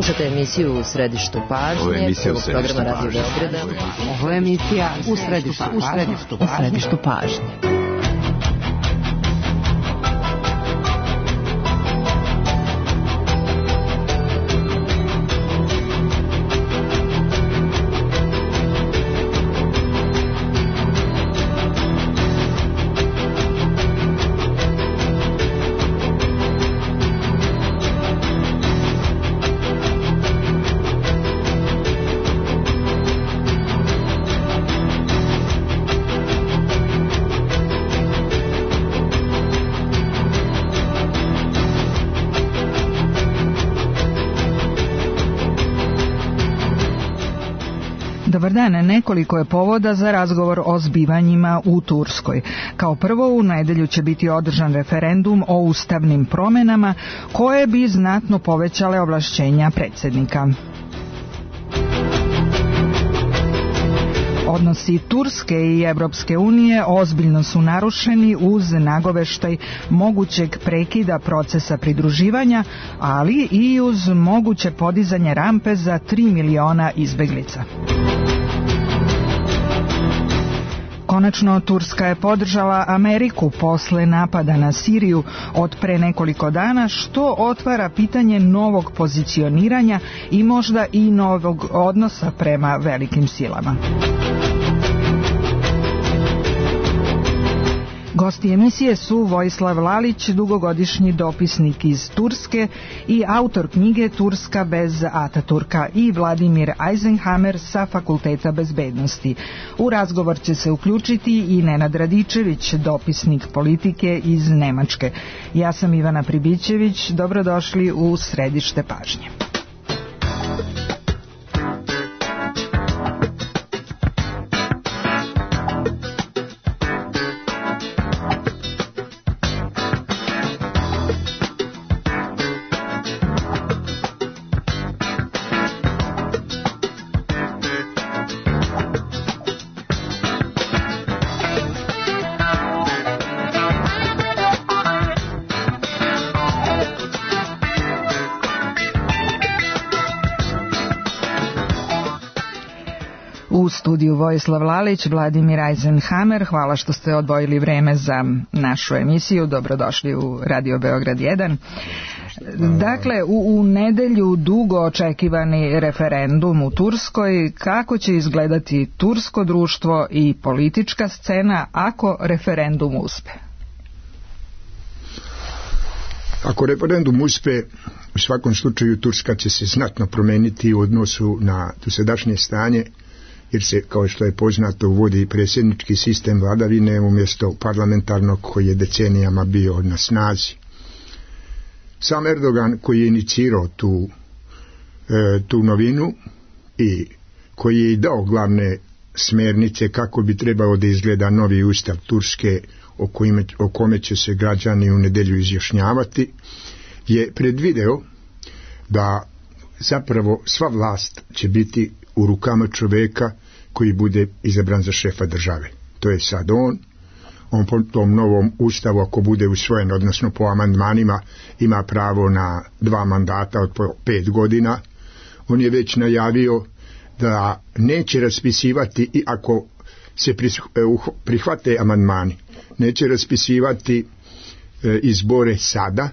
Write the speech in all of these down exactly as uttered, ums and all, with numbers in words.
Slušate emisiju U središtu pažnje, prvog programa Radio Beograda. Ovo je emisija U središtu, u središtu, u središtu pažnje. Dobar dan, nekoliko je povoda za razgovor o zbivanjima u Turskoj. Kao prvo, u nedelju će biti održan referendum o ustavnim promenama koje bi znatno povećale ovlašćenja predsjednika. Odnosi Turske i Evropske unije ozbiljno su narušeni uz nagoveštaj mogućeg prekida procesa pridruživanja, ali i uz moguće podizanje rampe za tri miliona izbeglica. Konačno, Turska je podržala Ameriku posle napada na Siriju od pre nekoliko dana, što otvara pitanje novog pozicioniranja i možda i novog odnosa prema velikim silama. Gosti emisije su Vojislav Lalić, dugogodišnji dopisnik iz Turske i autor knjige Turska bez Ataturka, i Vladimir Eisenhammer sa Fakulteta bezbednosti. U razgovor će se uključiti i Nenad Radičević, dopisnik politike iz Nemačke. Ja sam Ivana Pribićević, dobrodošli u središte pažnje. U studiju Vojislav Lalić, Vladimir Eisenhammer, hvala što ste odvojili vreme za našu emisiju, dobrodošli u Radio Beograd jedan. Dakle, u, u nedelju dugo očekivani referendum u Turskoj, kako će izgledati tursko društvo i politička scena ako referendum uspe? Ako referendum uspe, u svakom slučaju Turska će se znatno promeniti u odnosu na dosadašnje stanje, jer se, kao što je poznato, uvodi predsjednički sistem vladavine umjesto parlamentarnog koji je decenijama bio na snazi. Sam Erdogan, koji je inicirao tu, e, tu novinu i koji je i dao glavne smjernice kako bi trebao da izgleda novi ustav Turske o, kojime, o kome će se građani u nedelju izjašnjavati, je predvideo da zapravo sva vlast će biti u rukama čovjeka koji bude izabran za šefa države. To je sad on. On po tom novom ustavu, ako bude usvojen, odnosno po amandmanima, ima pravo na dva mandata od po pet godina. On je već najavio da neće raspisivati, i ako se prihvate amandmani, neće raspisivati e, izbore sada,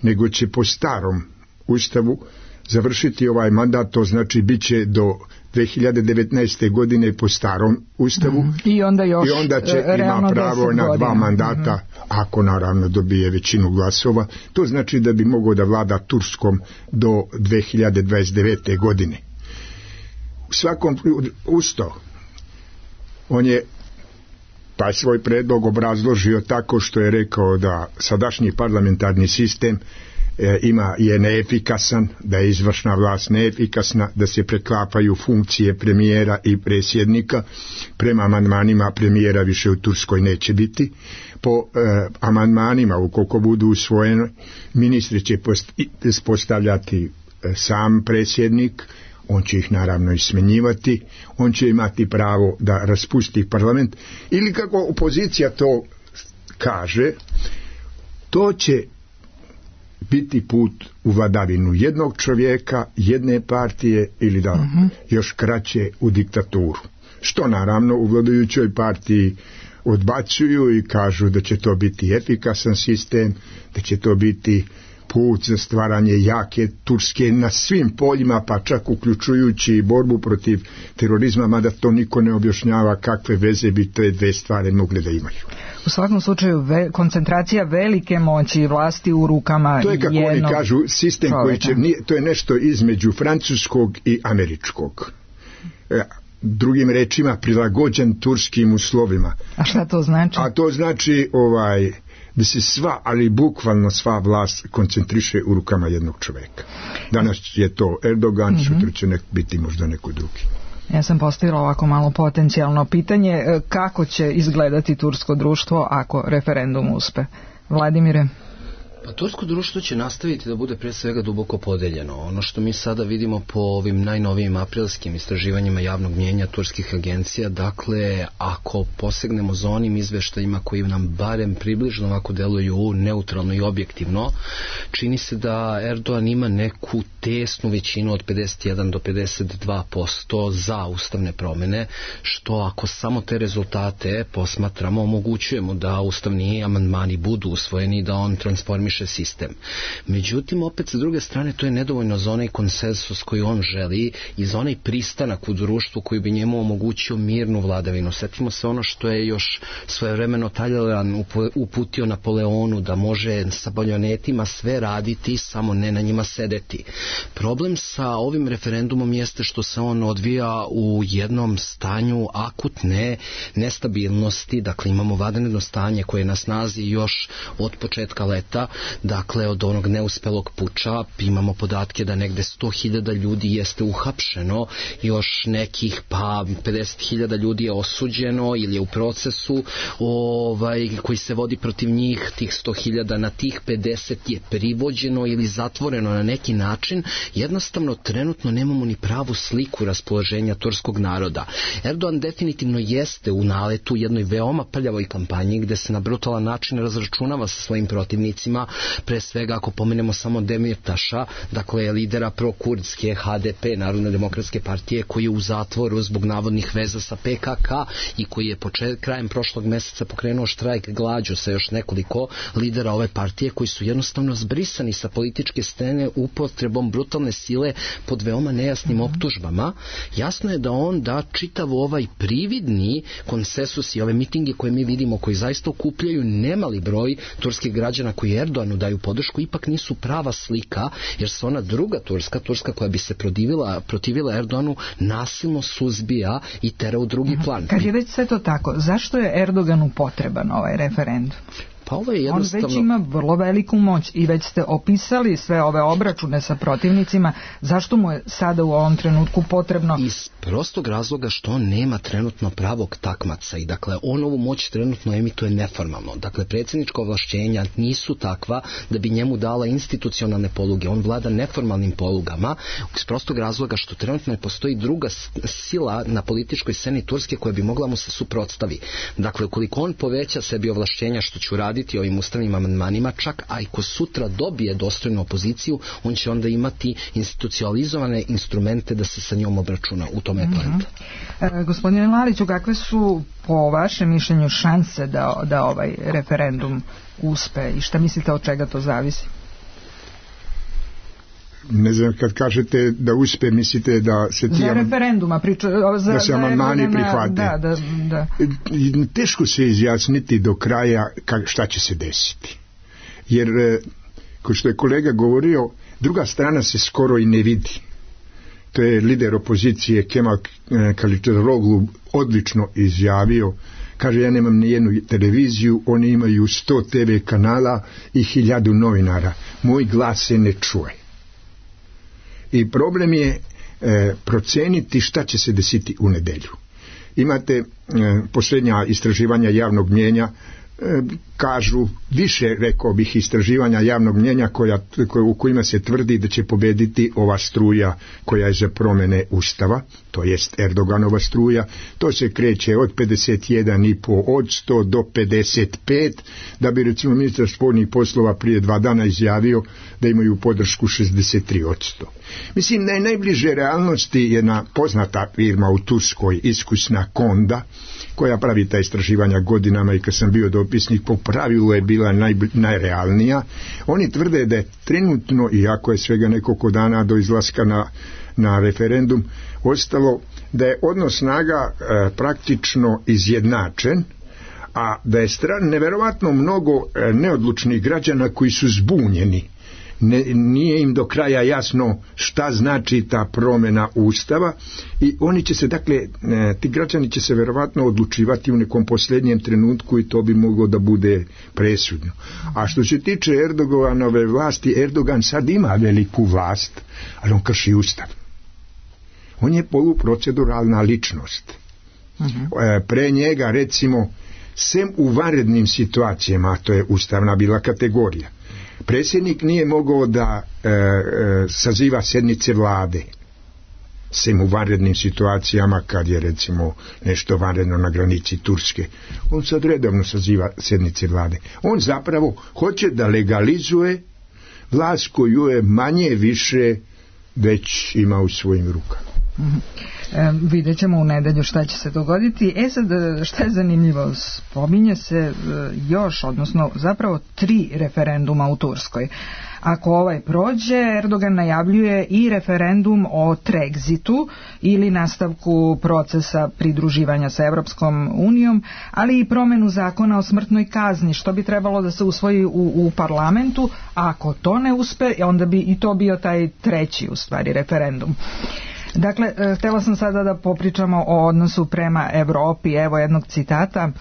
nego će po starom ustavu završiti ovaj mandat, to znači bit će do dve hiljade devetnaeste. godine po starom ustavu, mm. I, onda još, i onda će ima pravo na dva mandata, mm. ako naravno dobije većinu glasova. To znači da bi mogao da vlada Turskom do dve hiljade dvadeset devete. godine. U svakom usto on je pa svoj predlog obrazložio tako što je rekao da sadašnji parlamentarni sistem E, ima, je neefikasan, da je izvršna vlast neefikasna, da se preklapaju funkcije premijera i predsjednika. Prema amandmanima premijera više u Turskoj neće biti. Po e, amandmanima, ukoliko budu usvojeni, ministri će post, postavljati e, sam predsjednik, on će ih naravno i smenjivati, on će imati pravo da raspusti parlament, ili kako opozicija to kaže, to će biti put u vladavinu jednog čovjeka, jedne partije ili da uh-huh. još kraće u diktaturu. Što naravno u vladajućoj partiji odbacuju i kažu da će to biti efikasan sistem, da će to biti put za stvaranje jake Turske na svim poljima, pa čak uključujući i borbu protiv terorizma, mada to niko ne objašnjava kakve veze bi te dve stvari mogle da imaju. U svakom slučaju ve, koncentracija velike moći i vlasti u rukama to je kako jednog oni kažu sistem čovjeka. Koji će, nije, to je nešto između francuskog i američkog. E, drugim rečima prilagođen turskim uslovima. A šta to znači? A to znači ovaj da se sva, ali bukvalno sva vlast koncentriše u rukama jednog čovjeka. Danas je to Erdogan, mm-hmm. sutra će nek biti možda neko drugi. Ja sam postavila ovako malo potencijalno pitanje, kako će izgledati tursko društvo ako referendum uspe? Vladimire? Pa tursko društvo će nastaviti da bude pre svega duboko podeljeno. Ono što mi sada vidimo po ovim najnovijim aprilskim istraživanjima javnog mnjenja turskih agencija, dakle, ako posegnemo za onim izveštajima koji nam barem približno ovako deluju neutralno i objektivno, čini se da Erdogan ima neku tesnu većinu od pedeset jedan do pedeset dva posto za ustavne promjene, što ako samo te rezultate posmatramo, omogućujemo da ustavni amandmani budu usvojeni, da on transformiše sistem. Međutim, opet sa druge strane, to je nedovoljno za onaj konsensus koji on želi i za onaj pristanak u društvu koji bi njemu omogućio mirnu vladavinu. Sjetimo se ono što je još svojevremeno Talleyrand uputio Napoleonu, da može sa baljonetima sve raditi, samo ne na njima sedeti. Problem sa ovim referendumom jeste što se on odvija u jednom stanju akutne nestabilnosti, dakle imamo vanredno stanje koje je na snazi još od početka leta, dakle od onog neuspelog puča, imamo podatke da negde sto hiljada ljudi jeste uhapšeno, još nekih pa pedeset hiljada ljudi je osuđeno ili je u procesu ovaj, koji se vodi protiv njih, tih sto hiljada, na tih pedeset je privođeno ili zatvoreno na neki način. Jednostavno trenutno nemamo ni pravu sliku raspoloženja turskog naroda. Erdogan definitivno jeste u naletu jednoj veoma prljavoj kampanji gde se na brutalan način razračunava sa svojim protivnicima, pre svega ako pomenemo samo Demirtaša, dakle lidera prokurdske H D P, Narodne demokratske partije, koji je u zatvoru zbog navodnih veza sa P K K i koji je počet, krajem prošlog mjeseca pokrenuo štrajk glađu sa još nekoliko lidera ove partije koji su jednostavno zbrisani sa političke scene upotrebom brutalne sile pod veoma nejasnim optužbama. Jasno je da on da čitav ovaj prividni konsensus i ove mitinge koje mi vidimo, koji zaista okupljaju nemali broj turskih građana koji Erdoganu daju podršku, ipak nisu prava slika, jer se ona druga Turska, Turska koja bi se protivila, protivila Erdoganu, nasilno suzbija i tera u drugi plan. Kad je već sve to tako, zašto je Erdoganu potreban ovaj referendum? Pa ovo je jednostavno... On već ima vrlo veliku moć i već ste opisali sve ove obračune sa protivnicima. Zašto mu je sada u ovom trenutku potrebno? Iz prostog razloga što on nema trenutno pravog takmaca i dakle on ovu moć trenutno emituje neformalno. Dakle, predsjednička ovlašćenja nisu takva da bi njemu dala institucionalne poluge. On vlada neformalnim polugama iz prostog razloga što trenutno ne postoji druga sila na političkoj sceni Turske koja bi mogla mu se suprotstavi. Dakle, ukoliko on poveća sebi ovlašćenja, što će uraditi ovim ustavnim amandmanima, čak a i ko sutra dobije dostojnu opoziciju, on će onda imati institucionalizovane instrumente da se sa njom obračuna. U tome je poenta. Mm-hmm. E, gospodine Laliću, kakve su po vašem mišljenju šanse da, da ovaj referendum uspe i šta mislite od čega to zavisi? Ne znam, kad kažete da uspe, mislite da se ti... Za referenduma priča... Za, da se amandmani prihvate. Da, da, da. Teško se izjasniti do kraja šta će se desiti. Jer, kao što je kolega govorio, druga strana se skoro i ne vidi. To je lider opozicije Kemal Kılıçdaroğlu odlično izjavio. Kaže, ja nemam ni jednu televiziju, oni imaju sto te ve kanala i hiljadu novinara. Moj glas se ne čuje. I problem je e, proceniti šta će se desiti u nedelju. Imate e, posljednja istraživanja javnog mnjenja kažu više, rekao bih, istraživanja javnog mnjenja koja, koja, u kojima se tvrdi da će pobediti ova struja koja je za promjene Ustava, to jest Erdoganova struja. To se kreće od pedeset jedan i po od sto do pedeset pet, da bi recimo ministar spoljnih poslova prije dva dana izjavio da imaju podršku šezdeset tri posto. Mislim, naj, najbliže realnosti je jedna poznata firma u Turskoj, iskusna Konda, koja pravi ta istraživanja godinama i kad sam bio dopisnik, po pravilu je bila naj, najrealnija. Oni tvrde da je trenutno, iako je svega nekoliko dana do izlaska na, na referendum ostalo, da je odnos snaga e, praktično izjednačen, a da je stran neverovatno mnogo e, neodlučnih građana koji su zbunjeni. Ne, nije im do kraja jasno šta znači ta promjena Ustava i oni će se, dakle, ti građani će se verovatno odlučivati u nekom posljednjem trenutku i to bi moglo da bude presudno. A što se tiče Erdoganove vlasti, Erdogan sad ima veliku vlast, ali on krši Ustav. On je poluproceduralna ličnost. Uh-huh. Pre njega, recimo, sem u vanrednim situacijama, to je ustavna bila kategorija, predsjednik nije mogao da e, e, saziva sjednice vlade, sem u vanrednim situacijama kad je recimo nešto vanredno na granici Turske. On sad redovno saziva sjednice vlade. On zapravo hoće da legalizuje vlast koju je manje više već ima u svojim rukama. Mm-hmm. E, vidjet ćemo u nedelju šta će se dogoditi. E sad, šta je zanimljivo, spominje se e, još, odnosno zapravo tri referenduma u Turskoj. Ako ovaj prođe, Erdogan najavljuje i referendum o Trexitu ili nastavku procesa pridruživanja sa Evropskom unijom, ali i promjenu zakona o smrtnoj kazni, što bi trebalo da se usvoji u, u parlamentu. A ako to ne uspe, onda bi i to bio taj treći, u stvari, referendum. Dakle, htjela sam sada da popričamo o odnosu prema Evropi. Evo jednog citata.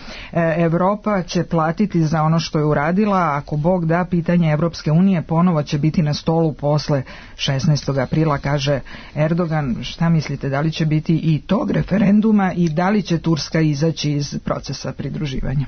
Evropa će platiti za ono što je uradila, ako Bog da, pitanje Evropske unije ponovo će biti na stolu posle šesnaestog aprila, kaže Erdogan. Šta mislite, da li će biti i tog referenduma i da li će Turska izaći iz procesa pridruživanja?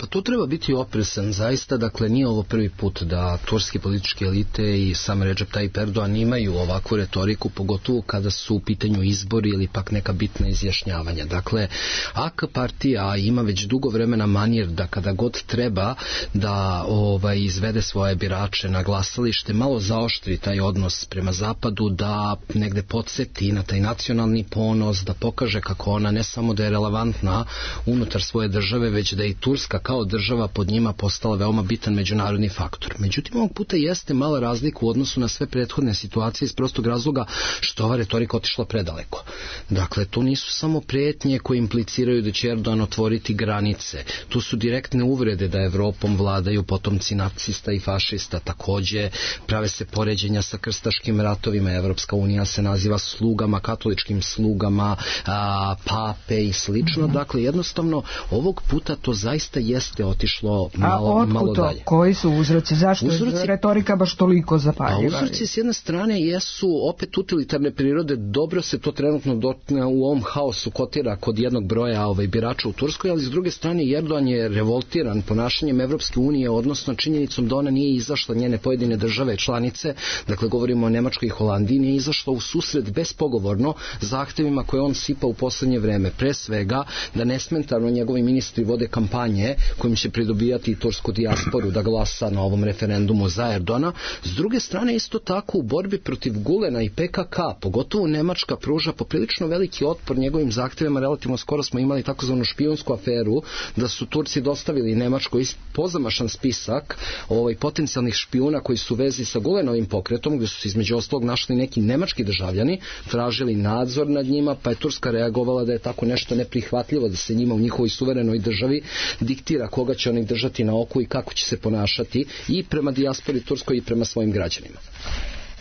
Pa tu treba biti oprezan, zaista, dakle nije ovo prvi put da turske političke elite i sam Recep Tayyip Erdogan imaju ovakvu retoriku, pogotovo kada su u pitanju izbori ili pak neka bitna izjašnjavanja. Dakle, A K partija ima već dugo vremena manir da kada god treba da ovaj, izvede svoje birače na glasalište, malo zaoštri taj odnos prema zapadu, da negde podsjeti na taj nacionalni ponos, da pokaže kako ona ne samo da je relevantna unutar svoje države, već da i Turska kao država pod njima postala veoma bitan međunarodni faktor. Međutim, ovog puta jeste mala razlika u odnosu na sve prethodne situacije iz prostog razloga što ova retorika otišla predaleko. Dakle, to nisu samo prijetnje koje impliciraju da će Erdogan otvoriti granice. Tu su direktne uvrede da Evropom vladaju potomci nacista i fašista. Takođe, prave se poređenja sa krstaškim ratovima. Evropska unija se naziva slugama, katoličkim slugama, a, pape i slično. Dakle, jednostavno, ovog puta to zaista jeste otišlo malo, A malo to? dalje. Koji su uzroci? Zašto uzroci, je retorika baš toliko zapaljiva? A uzroci s jedne strane jesu opet utilitarne prirode, dobro se to trenutno do, u ovom haosu kotira kod jednog broja ovaj, birača u Turskoj, ali s druge strane Erdogan je revoltiran ponašanjem Evropske unije, odnosno činjenicom da ona nije izašla, njene pojedine države članice, dakle govorimo o Nemačkoj i Holandiji, nije izašla u susret bespogovorno zahtevima koje on sipa u poslednje vreme. Pre svega da nesmetano njegovi ministri vode kampanje kojim će pridobijati i tursku dijasporu da glasa na ovom referendumu za Erdogana. S druge strane, isto tako u borbi protiv Gulena i P K K, pogotovo Nemačka pruža poprilično veliki otpor njegovim zahtjevima. Relativno skoro smo imali takozvanu špijunsku aferu da su Turci dostavili Nemačkoj pozamašan spisak ovaj, potencijalnih špijuna koji su u vezi sa Gulenovim pokretom, gdje su se između ostalog našli neki nemački državljani, tražili nadzor nad njima, pa je Turska reagovala da je tako nešto neprihvatljivo, da se njima u njihovoj suverenoj državi diktira koga će oni držati na oku i kako će se ponašati i prema dijaspori turskoj i prema svojim građanima.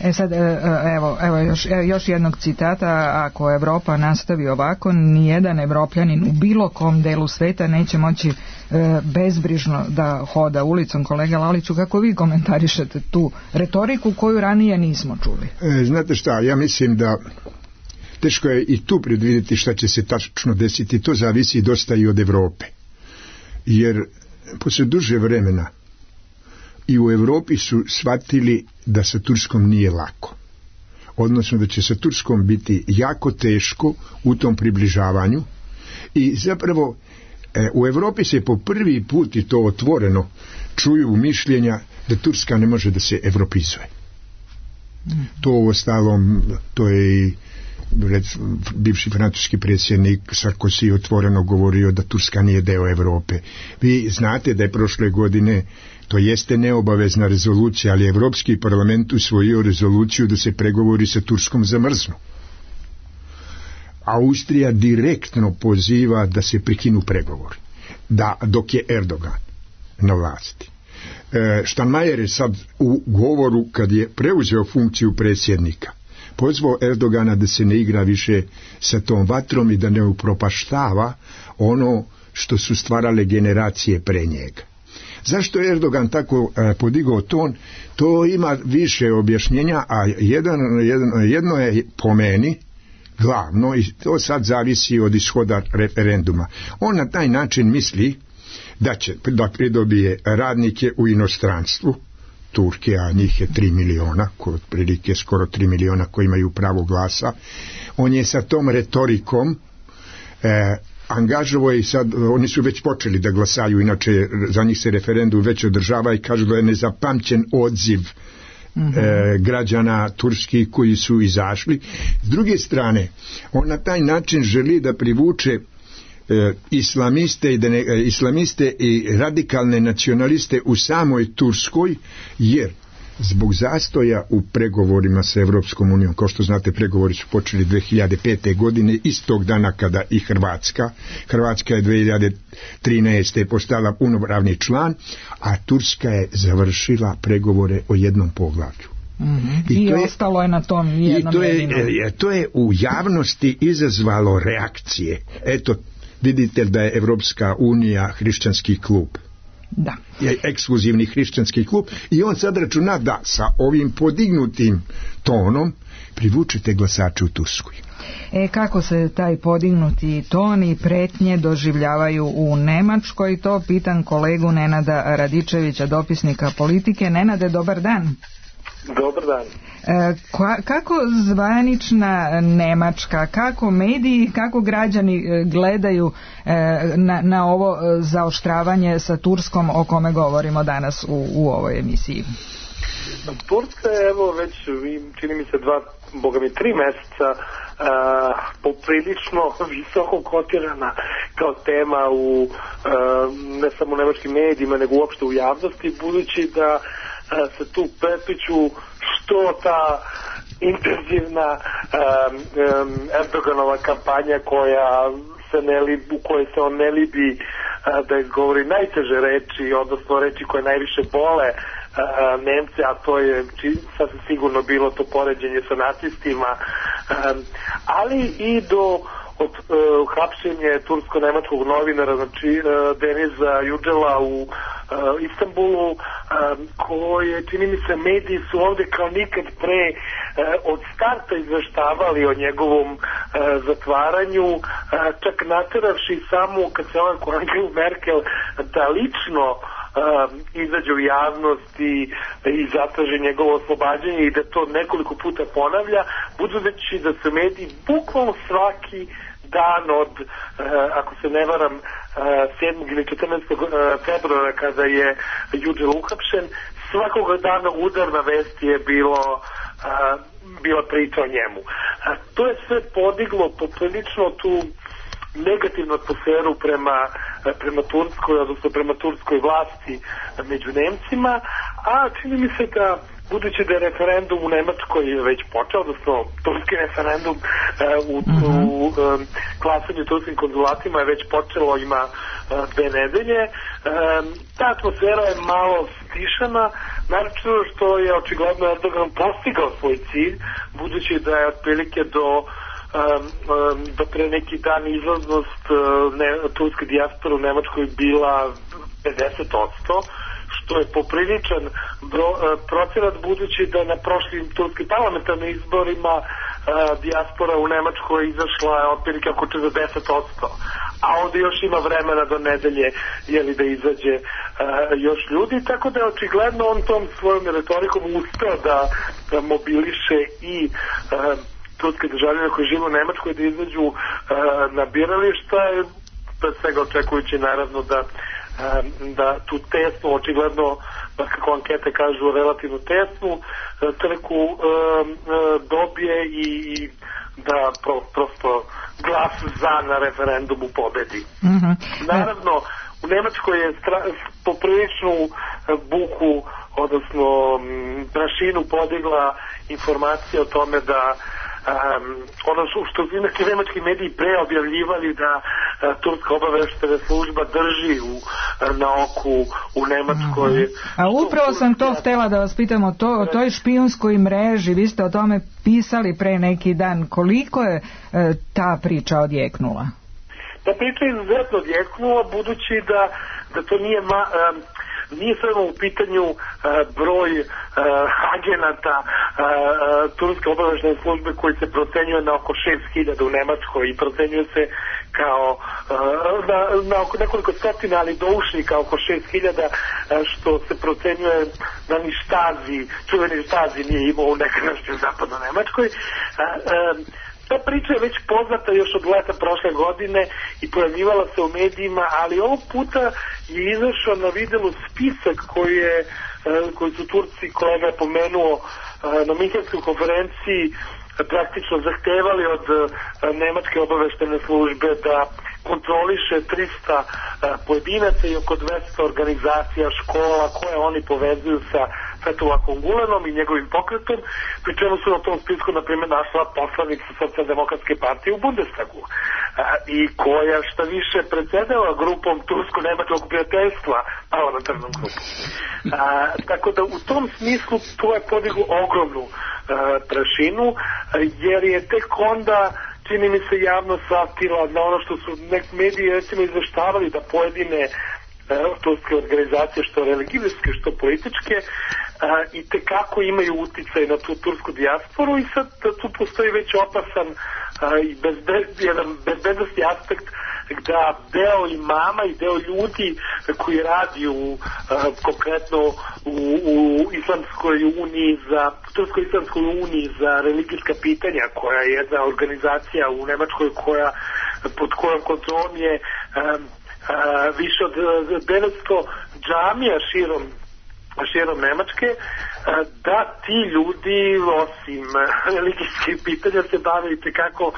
E sad, evo, evo još, još jednog citata. Ako Evropa nastavi ovako, nijedan Evropljanin u bilo kom delu sveta neće moći e, bezbrižno da hoda ulicom. Kolega Laliću, kako vi komentarišete tu retoriku koju ranije nismo čuli? E, znate šta, ja mislim da teško je i tu predvidjeti šta će se tačno desiti. To zavisi dosta i od Evrope. Jer posle duže vremena i u Evropi su shvatili da sa Turskom nije lako. Odnosno da će sa Turskom biti jako teško u tom približavanju i zapravo e, u Evropi se po prvi put i to otvoreno čuju mišljenja da Turska ne može da se evropizuje. Mm. To u ostalom, to je i rec, bivši francuski predsjednik Sarkozy otvoreno govorio da Turska nije deo Evrope. Vi znate da je prošle godine, to jeste neobavezna rezolucija, ali Evropski parlament usvojio rezoluciju da se pregovori sa Turskom zamrznu. Austrija direktno poziva da se prekinu pregovori, da, dok je Erdogan na vlasti. E, Steinmeier je sad u govoru, kad je preuzeo funkciju predsjednika, pozvao Erdogana da se ne igra više sa tom vatrom i da ne upropaštava ono što su stvarale generacije pre njega. Zašto je Erdogan tako e, podigao ton? To ima više objašnjenja, a jedan, jedan, jedno je po meni glavno i to sad zavisi od ishoda referenduma. On na taj način misli da će da pridobije radnike u inostranstvu, Turke, a njih je tri miliona, otprilike skoro tri miliona koji imaju pravo glasa. On je sa tom retorikom e, angažovao i sad, oni su već počeli da glasaju, inače za njih se referendum već održava i kažu da je nezapamćen odziv mm-hmm. e, građana turskih koji su izašli. S druge strane, on na taj način želi da privuče e, islamiste, i da ne, e, islamiste i radikalne nacionaliste u samoj Turskoj, jer zbog zastoja u pregovorima sa Evropskom unijom, kao što znate, pregovori su počeli dve hiljade pete. godine, istog dana kada i Hrvatska. Hrvatska je dve hiljade trinaeste. postala punopravni član, a Turska je završila pregovore o jednom poglavlju. Mm-hmm. I, I to je, ostalo je na tom jednom i to je, to je u javnosti izazvalo reakcije. Eto, vidite da je Evropska unija hrišćanski klub. Da. Je ekskluzivni hrišćanski klub i on sad računa da sa ovim podignutim tonom privučete glasače u Turskoj. E, kako se taj podignuti ton i pretnje doživljavaju u Nemačkoj, to pitam kolegu Nenada Radičevića, dopisnika Politike. Nenade, dobar dan. Dobar dan. E, ka, kako zvanična Nemačka, kako mediji, kako građani gledaju e, na, na ovo zaoštravanje sa Turskom o kome govorimo danas u, u ovoj emisiji? Turska je, evo, već čini mi se dva, boga mi tri meseca a, poprilično visoko kotirana kao tema u a, ne samo u nemačkim medijima, nego uopšte u javnosti, budući da a, se tu prepliču što ta intenzivna um, um, Erdoganova kampanja koja se ne libi, u kojoj se on ne libi uh, da izgovori najteže reči, odnosno reči koje najviše bole uh, Nemce, a to je sasvim sigurno bilo to poređenje sa nacistima, um, ali i do od uh, hapšenje tursko-nemačkog novinara, znači uh, Deniza Yücel'a u uh, Istanbulu, um, koje, čini mi se, mediji su ovde kao nikad pre uh, od starta izveštavali o njegovom uh, zatvaranju, uh, čak nateravši samo kad se ovaj Angelu Merkel da lično Uh, izađe u javnost i, i zatraži njegovo oslobađanje i da to nekoliko puta ponavlja, budući da se mediji bukvalno svaki dan od, uh, ako se ne varam, uh, sedmog ili četrnaestog februara kada je Yücel uhapšen, svakog dana udarna vest je bilo uh, bila priča o njemu. Uh, to je sve podiglo poprilično tu negativnu atmosferu prema, prema Turskoj, odnosno prema turskoj vlasti među Nemcima, a čini mi se da, budući da je referendum u Nemačkoj već počeo, odnosno turski referendum u, uh-huh. u um, glasanju turskim konzulatima je već počelo, ima uh, dve nedelje. Um, ta atmosfera je malo stišana, naročito što je očigledno Erdogan postigao svoj cilj, budući da je otprilike do Um, um, do pre neki dan izlaznost uh, ne, turske dijaspore u Nemačkoj bila pedeset posto, što je popriličan bro, uh, procenat, budući da na prošlim turskim parlamentarnim izborima uh, dijaspora u Nemačkoj izašla otprilike oko četrdeset posto. a ovdje još ima vremena do nedelje jeli da izađe uh, još ljudi, tako da je očigledno on tom svojom retorikom uspeo da, da mobiliše i uh, turske državljane koji žive u Nemačkoj da izađu uh, na birališta, pre svega očekujući naravno da da tu tesnu, očigledno kako ankete kažu relativno tesnu trku dobije i da pro, prosto glas za na referendumu pobedi. Mm-hmm. Naravno, u Nemačkoj je stra, popriličnu buku, odnosno prašinu podigla informacija o tome da Um, ono što su neki nemački mediji pre objavljivali da uh, turska obaveštena služba drži u, uh, na oku u Nemačkoj. Uh-huh. A upravo sam to htjela da vas pitam o, to, o toj špijunskoj mreži, vi ste o tome pisali pre neki dan, koliko je uh, ta priča odjeknula? Ta priča je izuzetno odjeknula, budući da, da to nije ma, um, nije samo u pitanju uh, broj uh, agenata uh, uh, turske obaveštene službe koji se procenjuje na oko šest hiljada u Nemačkoj i procenjuje se kao uh, na, na oko nekoliko stotina, ali doušnika oko šest hiljada, uh, što se procenjuje da ni Štazi, čuveni Štazi nije imao u nekadašnjoj zapadnoj Nemačkoj. Uh, uh, Ta priča je već poznata još od leta prošle godine i pojavljivala se u medijima, ali ovog puta je izašao na videlu spisak koji, je, koji su Turci, kolega je pomenuo na Minhenskoj konferenciji, praktično zahtevali od nemačke obaveštene službe da kontroliše trista pojedinaca i oko dvesta organizacija, škola koje oni povezuju sa Fethullahom Gulenom i njegovim pokretom, pri čemu su na tom spisku na primjer našla poslanica Socijaldemokratske partije u Bundestagu a, i koja šta više predsjedala grupom tursko-nemačkog prijateljstva, parlamentarnom grupom. A, tako da u tom smislu to je podiglo ogromnu a, prašinu, a, jer je tek onda čini mi se javno satila na ono što su nek mediji recimo izveštavali da pojedine turske organizacije, što religijske, što političke, a, i tekako imaju uticaj na tu tursku dijasporu i sad tu postoji već opasan a, i bezbed, jedan bezbednosti aspekt da deo imama i deo ljudi koji radi u, a, konkretno u, u Islamskoj uniji za Turskoj Islamskoj uniji za religijska pitanja, koja je jedna organizacija u Nemačkoj koja pod kojom kontrolom je a, Uh, više od devetsto džamija širom, širom Nemačke, uh, da ti ljudi osim uh, religijskih pitanja se bave i tekako uh,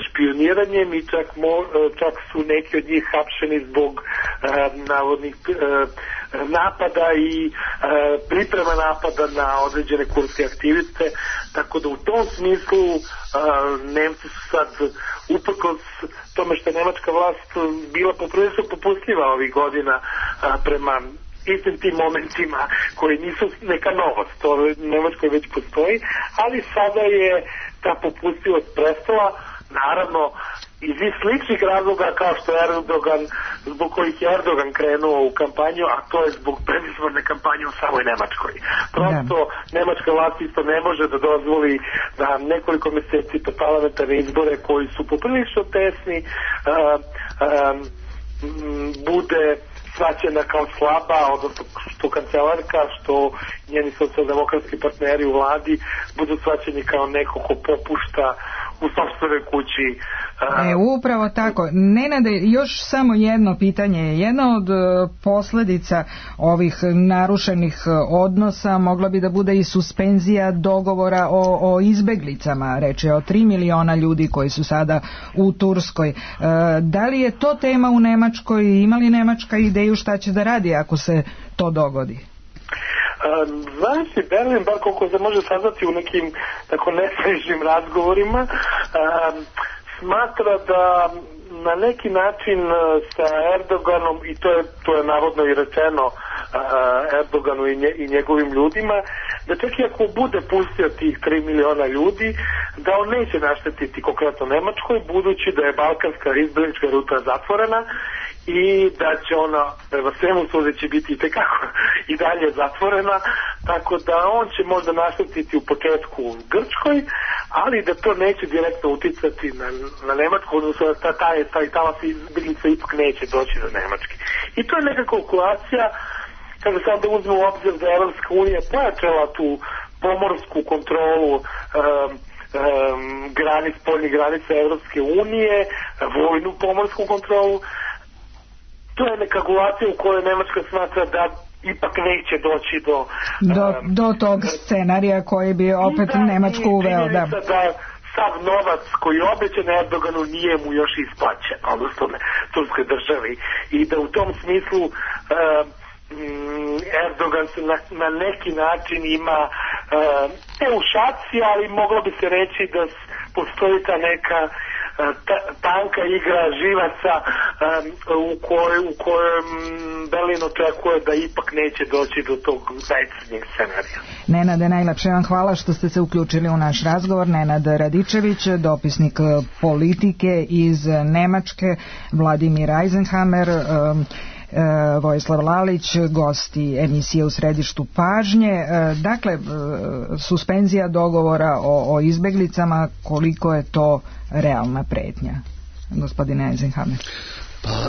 špioniranjem i čak, mo, uh, čak su neki od njih hapšeni zbog uh, navodnih uh, napada i uh, priprema napada na određene kurske aktiviste, tako da u tom smislu uh, Nemci su sad uprkos tome što je nemačka vlast bila poprilično popustljiva ovih godina uh, prema istim tim momentima koji nisu neka novost, to u Nemačkoj već postoji, ali sada je ta popustljivost prestala, naravno iz sličnih razloga kao što je Erdogan, zbog kojih je Erdogan krenuo u kampanju, a to je zbog predizborne kampanje u samoj Nemačkoj. Prosto yeah. Nemačka vlast isto ne može da dozvoli da nekoliko mjeseci po parlamentarne izbore koji su poprilično tesni uh, um, bude svaćena kao slaba, odnosno što kancelarka, što njeni socijaldemokratski partneri u vladi budu svaćeni kao neko ko popušta u sopstvenoj kući. E, upravo tako. Nenade, još samo jedno pitanje. Jedna od posljedica ovih narušenih odnosa mogla bi da bude i suspenzija dogovora o, o izbeglicama, reče o tri miliona ljudi koji su sada u Turskoj. E, da li je to tema u Nemačkoj? Ima li Nemačka ideju šta će da radi ako se to dogodi? Znači, Berlin, bar koliko se može saznati u nekim tako nesrežnim razgovorima, um, smatra da na neki način sa Erdoganom, i to je, to je navodno i rečeno Erdoganu i, nje, i njegovim ljudima, da čak i ako bude pustio tih tri miliona ljudi, da on neće naštetiti konkretno Nemačkoj, budući da je balkanska izbjeglička ruta zatvorena i da će ona prema svemu sudeći biti i tekako i dalje zatvorena, tako da on će možda naštetiti u početku Grčkoj, ali da to neće direktno uticati na, na Nemačku, odnosno da ta, taj, taj talas izbjeglica ipak neće doći do Nemačke. I to je neka kalkulacija, kada se onda uzme u obzir da Evropska unija pojačala tu pomorsku kontrolu um, um, granic, spoljnih granica Evropske unije, vojnu pomorsku kontrolu, to je neka kalkulacija u kojoj Nemačka smatra da ipak neće doći do do, um, do tog scenarija koji bi opet da, Nemačku uveo. Da. da sav novac koji je obećan Erdoganu nije mu još isplaćen, odnosno ne, turskoj državi, i da u tom smislu um, Erdogan se na, na neki način ima uh, ne u šaci, ali moglo bi se reći da postoji ta neka ta, tanka igra živaca um, u kojoj u kojem Berlin očekuje da ipak neće doći do tog najcrnijeg scenarija. Nenade, najlepše vam hvala što ste se uključili u naš razgovor. Nenad Radičević, dopisnik politike iz Nemačke, Vladimir Eisenhammer, um, Vojislav Lalić, gosti emisije U središtu pažnje. Dakle, suspenzija dogovora o, o izbeglicama, koliko je to realna pretnja, gospodine Eisenhammer? Pa,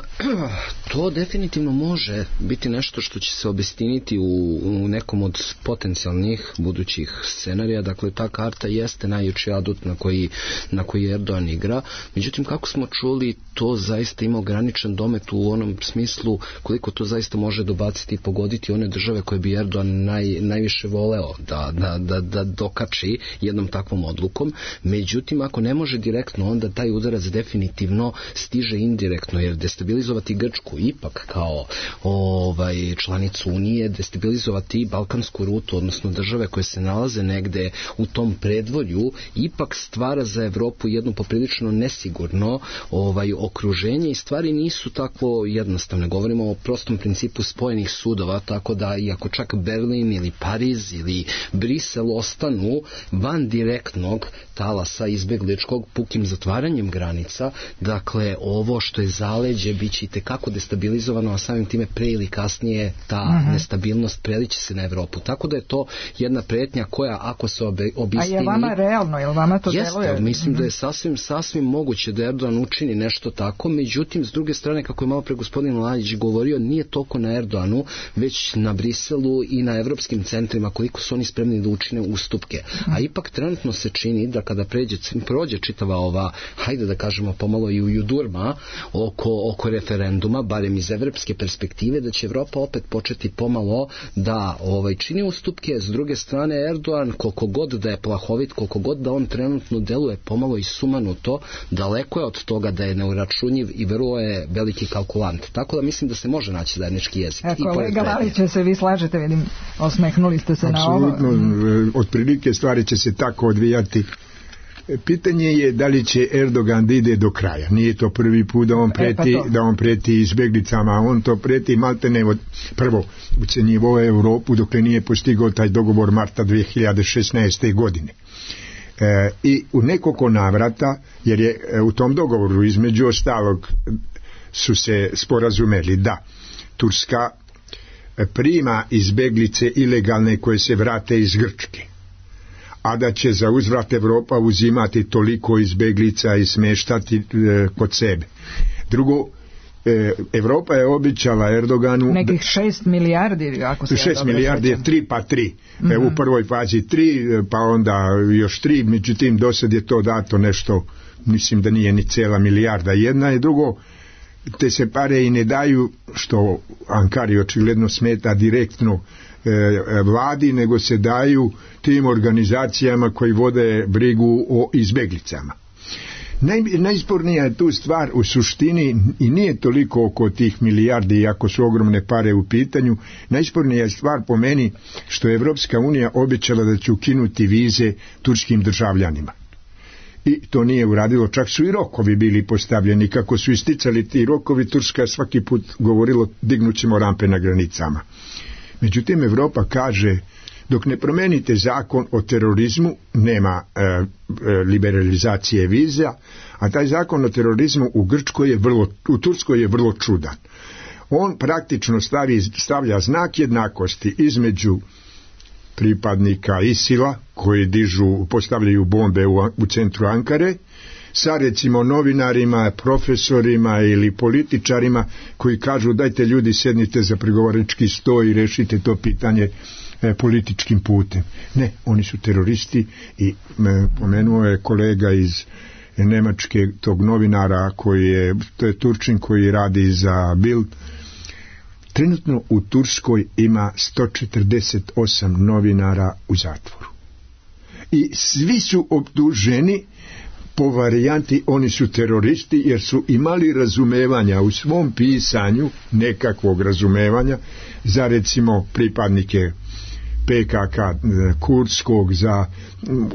to definitivno može biti nešto što će se obistiniti u, u nekom od potencijalnih budućih scenarija. Dakle, ta karta jeste najjači adut na koji, na koji Erdogan igra. Međutim, kako smo čuli, to zaista ima ograničen domet u onom smislu koliko to zaista može dobaciti i pogoditi one države koje bi Erdogan naj, najviše voleo da, da, da, da dokači jednom takvom odlukom. Međutim, ako ne može direktno, onda taj udarac definitivno stiže indirektno, jer destabilizovati Grčku ipak kao ovaj, članicu Unije, destabilizovati balkansku rutu, odnosno države koje se nalaze negde u tom predvorju, ipak stvara za Evropu jedno poprilično nesigurno ovaj, okruženje i stvari nisu tako jednostavne. Govorimo o prostom principu spojenih sudova, tako da iako čak Berlin ili Pariz ili Brisel ostanu van direktnog talasa izbegličkog pukim zatvaranjem granica, dakle ovo što je zaleđe biće i tekako destabilizovano, a samim time pre ili kasnije ta uh-huh. nestabilnost preliće se na Evropu. Tako da je to jedna pretnja koja ako se obe, obistini... A je vama realno, je li vama to jeste, deluje? Mislim uh-huh. da je sasvim, sasvim moguće da Erdogan učini nešto tako, međutim, s druge strane, kako je malo pre gospodin Lalić govorio, nije toliko na Erdoganu, već na Briselu i na evropskim centrima, koliko su oni spremni da učine ustupke. Uh-huh. A ipak trenutno se čini da kada pređe, prođe čitava ova, hajde da kažemo pomalo i u judurma oko, oko referenduma, barem iz evropske perspektive, da će Evropa opet početi pomalo da ovaj, čini ustupke. S druge strane, Erdogan, koliko god da je plahovit, koliko god da on trenutno deluje pomalo i sumanuto, daleko je od toga da je neuračunjiv i vrlo je veliki kalkulant. Tako da mislim da se može naći zajednički jezik. E, kolega Laliće, se vi slažete, vidim, osmehnuli ste se Absolutno, na ovo. Apsolutno, otprilike stvari će se tako odvijati. Pitanje je da li će Erdogan da ide do kraja. Nije to prvi put da on preti, e, pa da on preti izbeglicama, on to preti maltene od prvo ucenjivo Europu dok nije postigao taj dogovor marta dve hiljade šesnaeste. godine. E, I u nekoliko navrata, jer je e, u tom dogovoru između ostalog su se sporazumeli da Turska prima izbeglice ilegalne koje se vrate iz Grčke, a da će za uzvrat Evropa uzimati toliko izbeglica i smeštati e, kod sebe. Drugo, e, Evropa je obećala Erdoganu nekih šest milijardi, ako se šest milijardi je tri pa tri. Mm-hmm. E, u prvoj fazi tri, pa onda još tri, međutim do sad je to dato nešto, mislim da nije ni cijela milijarda. Jedna je, drugo, te se pare i ne daju, što Ankari očigledno smeta direktno e, vladi, nego se daju tim organizacijama koji vode brigu o izbeglicama. Naj, najspornija je tu stvar u suštini i nije toliko oko tih milijardi, iako su ogromne pare u pitanju. Najspornija je stvar po meni što je Evropska unija obećala da će ukinuti vize turskim državljanima. I to nije uradilo, čak su i rokovi bili postavljeni. Kako su isticali ti rokovi, Turska svaki put govorilo dignut ćemo rampe na granicama. Međutim, Evropa kaže, dok ne promenite zakon o terorizmu, nema e, e, liberalizacije viza, a taj zakon o terorizmu u Grčkoj je vrlo, u Turskoj je vrlo čudan. On praktično stavi, stavlja znak jednakosti između pripadnika ISIL-a koji dižu, postavljaju bombe u, u centru Ankare, sa recimo novinarima, profesorima ili političarima koji kažu dajte ljudi sednite za pregovarački sto i rešite to pitanje e, političkim putem. Ne, oni su teroristi i e, pomenuo je kolega iz Nemačke tog novinara koji je, to je Turčin koji radi za Bild. Trenutno u Turskoj ima sto četrdeset osam novinara u zatvoru. I svi su optuženi po varijanti oni su teroristi jer su imali razumevanja u svom pisanju, nekakvog razumevanja za recimo pripadnike P K K kurdskog, za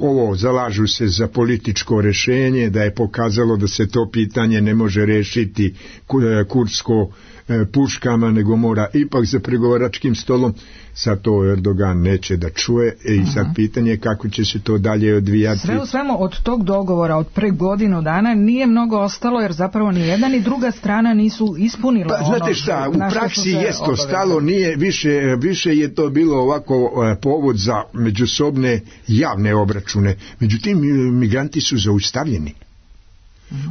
ovo zalažu se za političko rešenje, da je pokazalo da se to pitanje ne može rešiti kurdsko puškama, nego mora ipak za pregovaračkim stolom. Sad to Erdogan neće da čuje i sad pitanje je kako će se to dalje odvijati. Sve u svemu od tog dogovora od pre godinu dana nije mnogo ostalo jer zapravo ni jedna ni druga strana nisu ispunila pa, znate šta, ono u praksi jest to stalo, nije više, više je to bilo ovako povod za međusobne javne obračune. Međutim, migranti su zaustavljeni.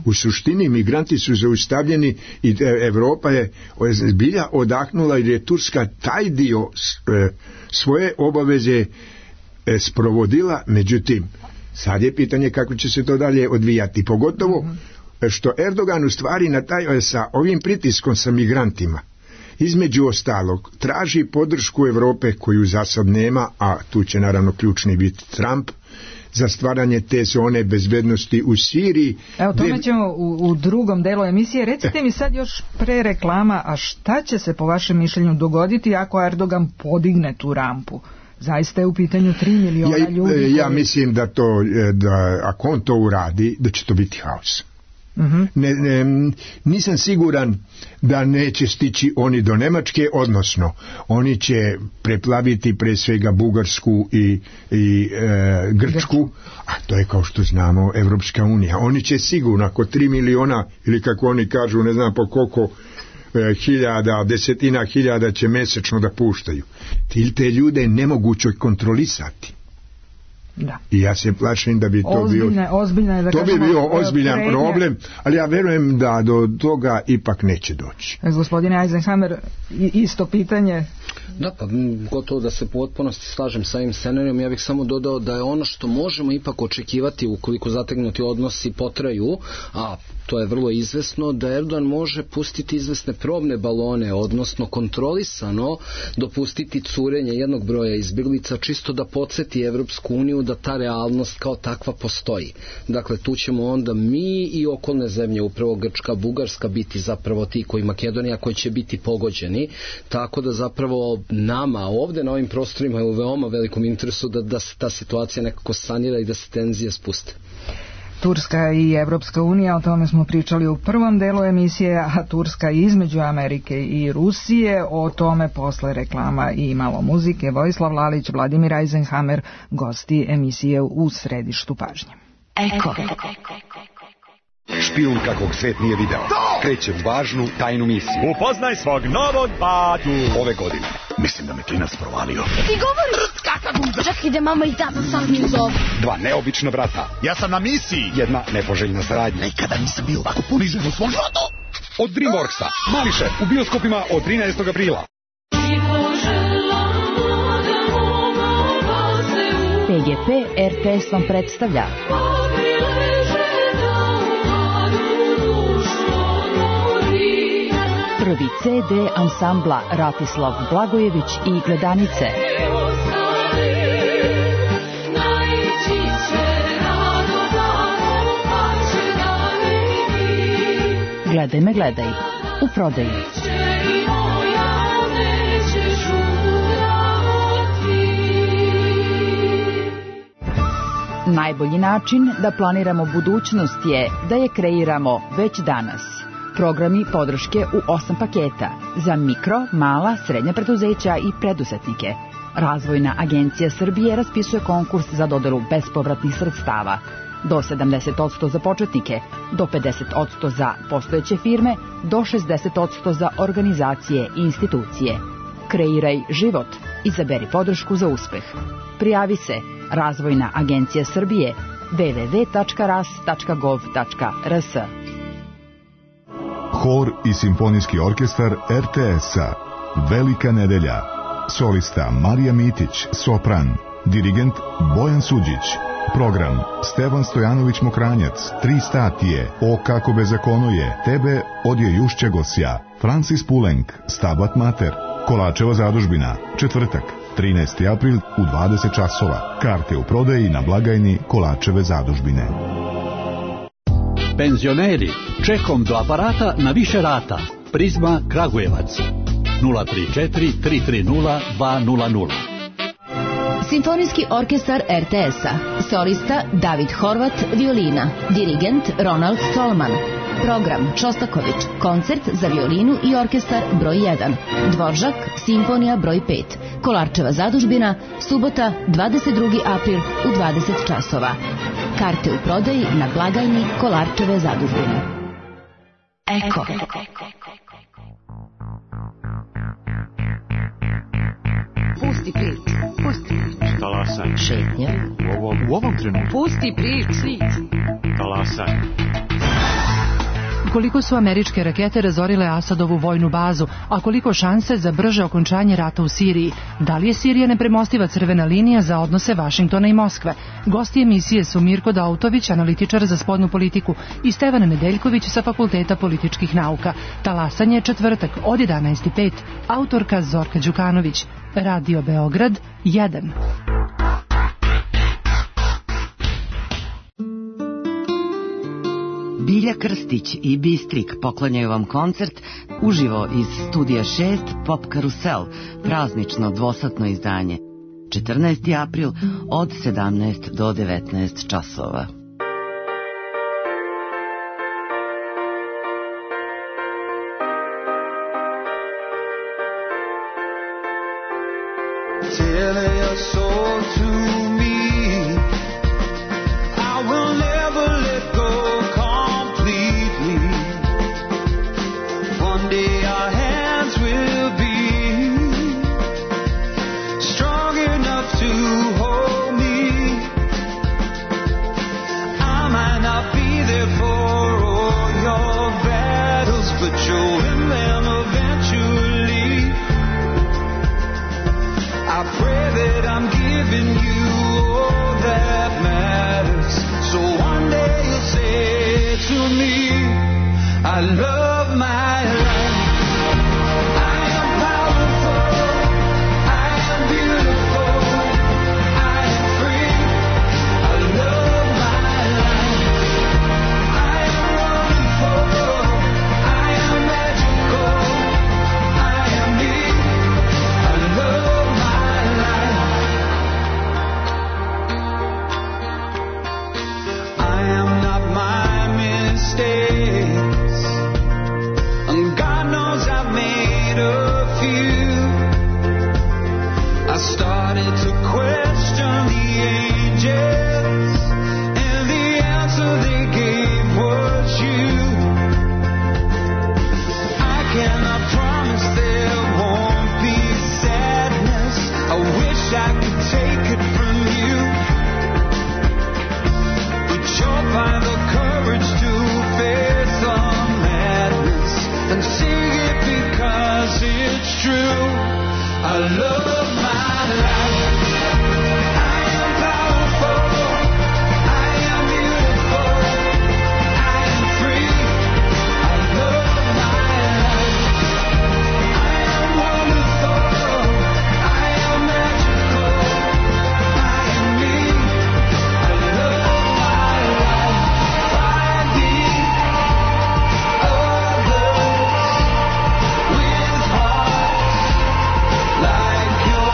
U suštini migranti su zaustavljeni i Evropa je zbilja odahnula jer je Turska taj dio svoje obaveze sprovodila, međutim sad je pitanje kako će se to dalje odvijati, pogotovo što Erdogan u stvari na taj, sa ovim pritiskom sa migrantima između ostalog traži podršku Evrope koju za sad nema, a tu će naravno ključni biti Trump, za stvaranje te zone bezbednosti u Siriji. Evo, tome gde... ćemo u, u drugom delu emisije. Recite mi sad još pre reklama, a šta će se po vašem mišljenju dogoditi ako Erdogan podigne tu rampu? Zaista je u pitanju tri miliona ja, ljudi. Koji... Ja mislim da to, da ako on to uradi, da će to biti haos. Uh-huh. Ne, ne, nisam siguran da neće stići oni do Nemačke, odnosno oni će preplaviti pre svega Bugarsku i, i e, Grčku, a to je kao što znamo Evropska unija. Oni će sigurno ako tri miliona ili kako oni kažu ne znam po koliko e, hiljada, desetina hiljada će mesečno da puštaju. Ti te ljude je nemoguće kontrolisati. Da. I ja se plašim da bi to ozbiljne, bio ozbiljne, da to kažemo, bi bio ozbiljan prednje. problem, ali ja verujem da do toga ipak neće doći. Gospodine Eisenhammer, isto pitanje. Da, pa gotovo da se potpunosti slažem sa ovim scenarijom. Ja bih samo dodao da je ono što možemo ipak očekivati ukoliko zategnuti odnosi potraju, a to je vrlo izvesno, da Erdogan može pustiti izvesne probne balone, odnosno kontrolisano dopustiti curenje jednog broja izbjeglica, čisto da podsjeti Evropsku uniju da ta realnost kao takva postoji. Dakle, tu ćemo onda mi i okolne zemlje, upravo Grčka, Bugarska, biti zapravo ti koji Makedonija, koji će biti pogođeni, tako da zapravo nama ovdje na ovim prostorima je u veoma velikom interesu da, da se ta situacija nekako sanira i da se tenzije spuste. Turska i Evropska unija, o tome smo pričali u prvom delu emisije, a Turska između Amerike i Rusije, o tome posle reklama i malo muzike. Vojislav Lalić, Vladimir Eisenhammer, gosti emisije U središtu pažnje. Eko. Špijun kakvog svet nije video. Kreće u važnu tajnu misiju. Upoznaj svog novog batu. Ove godine. Mislim da me klinac provalio. Ti govoriš kakav guza. Čekaj da mama i tata sad mi zove. Dva neobična brata. Ja sam na misiji. Jedna nepoželjna saradnja. Nikada nisam bio ovako ponižen u svom životu. Od Dreamworksa. Mali šef u bioskopima od trinaestog aprila. P G P R T S vam predstavlja prvi C D ansambla Ratislav Blagojević i Gledanice. Gledaj me, gledaj. U prodaji. Najbolji način da planiramo budućnost je da je kreiramo već danas. Programi podrške u osam paketa za mikro, mala, srednja preduzeća i preduzetnike. Razvojna agencija Srbije raspisuje konkurs za dodelu bespovratnih sredstava. Do sedamdeset posto za početnike, do pedeset posto za postojeće firme, do šezdeset posto za organizacije i institucije. Kreiraj život. Izaberi podršku za uspeh. Prijavi se Razvojna agencija Srbije w w w tačka ras tačka gov tačka r s. Hor i simfonijski orkestar er te es-a. Velika nedelja. Solista Marija Mitić, sopran. Dirigent Bojan Suđić. Program Stevan Stojanović Mokranjac, tri statije, O kako bezakono je, Tebe odje Jušće Gosja, Francis Pulenk, Stabat Mater, Kolačeva zadužbina, četvrtak, trinaesti april u dvadeset časova. Karte u prodaji na blagajni Kolačeve zadužbine. Penzioneri, čekom do aparata na više rata. Prizma Kragujevac. nula tri četiri tri tri nula dva nula nula. Simfonijski orkestar er te es-a. Solista David Horvat, violina. Dirigent Ronald Stolman. Program Šostaković. Koncert za violinu i orkestar broj jedan. Dvoržak, simfonija broj pet. Kolarčeva zadužbina, subota, dvadeset drugi april u dvadeset časova. Karte u prodaji na blagajni Kolarčeve zadužbine. Eko. Pusti prič, pusti prič. Talasaj. Šetnja. U ovom, u ovom trenutku. Pusti prič. Talasaj. Koliko su američke rakete razorile Asadovu vojnu bazu, a koliko šanse za brže okončanje rata u Siriji? Da li je Sirija nepremostiva crvena linija za odnose Vašingtona i Moskve? Gosti emisije su Mirko Dautović, analitičar za spoljnu politiku, i Stevan Nedeljković sa Fakulteta političkih nauka. Talasanje četvrtak od jedanaest i pet. Autorka Zorka Đukanović. Radio Beograd jedan. Bilja Krstić i Bistrik poklanjaju vam koncert uživo iz studija šest Pop Karusel, praznično dvosatno izdanje. četrnaesti april od sedamnaest do devetnaest časova. Like you